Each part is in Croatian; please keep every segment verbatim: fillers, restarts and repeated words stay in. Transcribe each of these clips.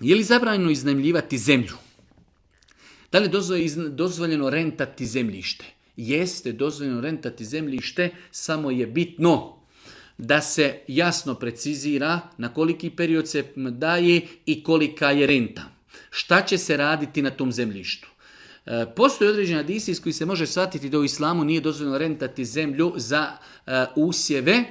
Je li zabranjeno iznajmljivati zemlju? Da li je dozvoljeno rentati zemljište? Jeste dozvoljeno rentati zemljište, samo je bitno da se jasno precizira na koliki period se daje i kolika je renta. Šta će se raditi na tom zemljištu? E, postoji određeni hadisi iz koji se može shvatiti da u islamu nije dozvoljeno rentati zemlju za e, usjeve,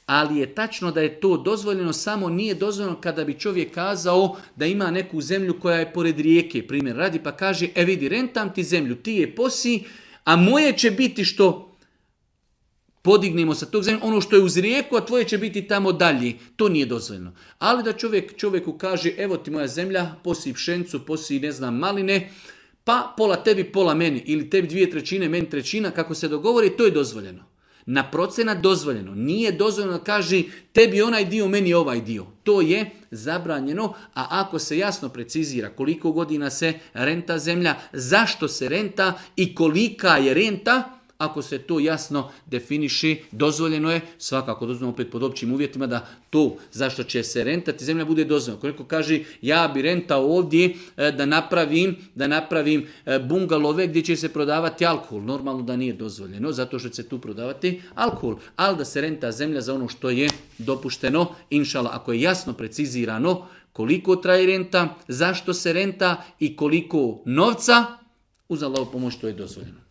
ali je tačno da je to dozvoljeno, samo nije dozvoljeno kada bi čovjek kazao da ima neku zemlju koja je pored rijeke, primjer radi, pa kaže, e vidi, rentam ti zemlju, ti je posi, a moje će biti što podignemo sa tog zemlja, ono što je uz rijeku, a tvoje će biti tamo dalje. To nije dozvoljeno. Ali da čovjek čovjeku kaže, evo ti moja zemlja, posi pšenicu, posi ne znam maline, pa pola tebi, pola meni, ili tebi dvije trećine, meni trećina, kako se dogovori, to je dozvoljeno. Na procenat dozvoljeno. Nije dozvoljeno da kaže tebi onaj dio, meni ovaj dio. To je zabranjeno, a ako se jasno precizira koliko godina se renta zemlja, zašto se renta i kolika je renta, ako se to jasno definiši, dozvoljeno je, svakako dozvoljeno opet pod općim uvjetima da to zašto će se rentati zemlja bude dozvoljeno. Ako neko kaže ja bi rentao ovdje da napravim, da napravim bungalove gdje će se prodavati alkohol, normalno da nije dozvoljeno zato što će se tu prodavati alkohol, ali da se renta zemlja za ono što je dopušteno, inšala, ako je jasno precizirano koliko traje renta, zašto se renta i koliko novca, uz Allahovu pomoć to je dozvoljeno.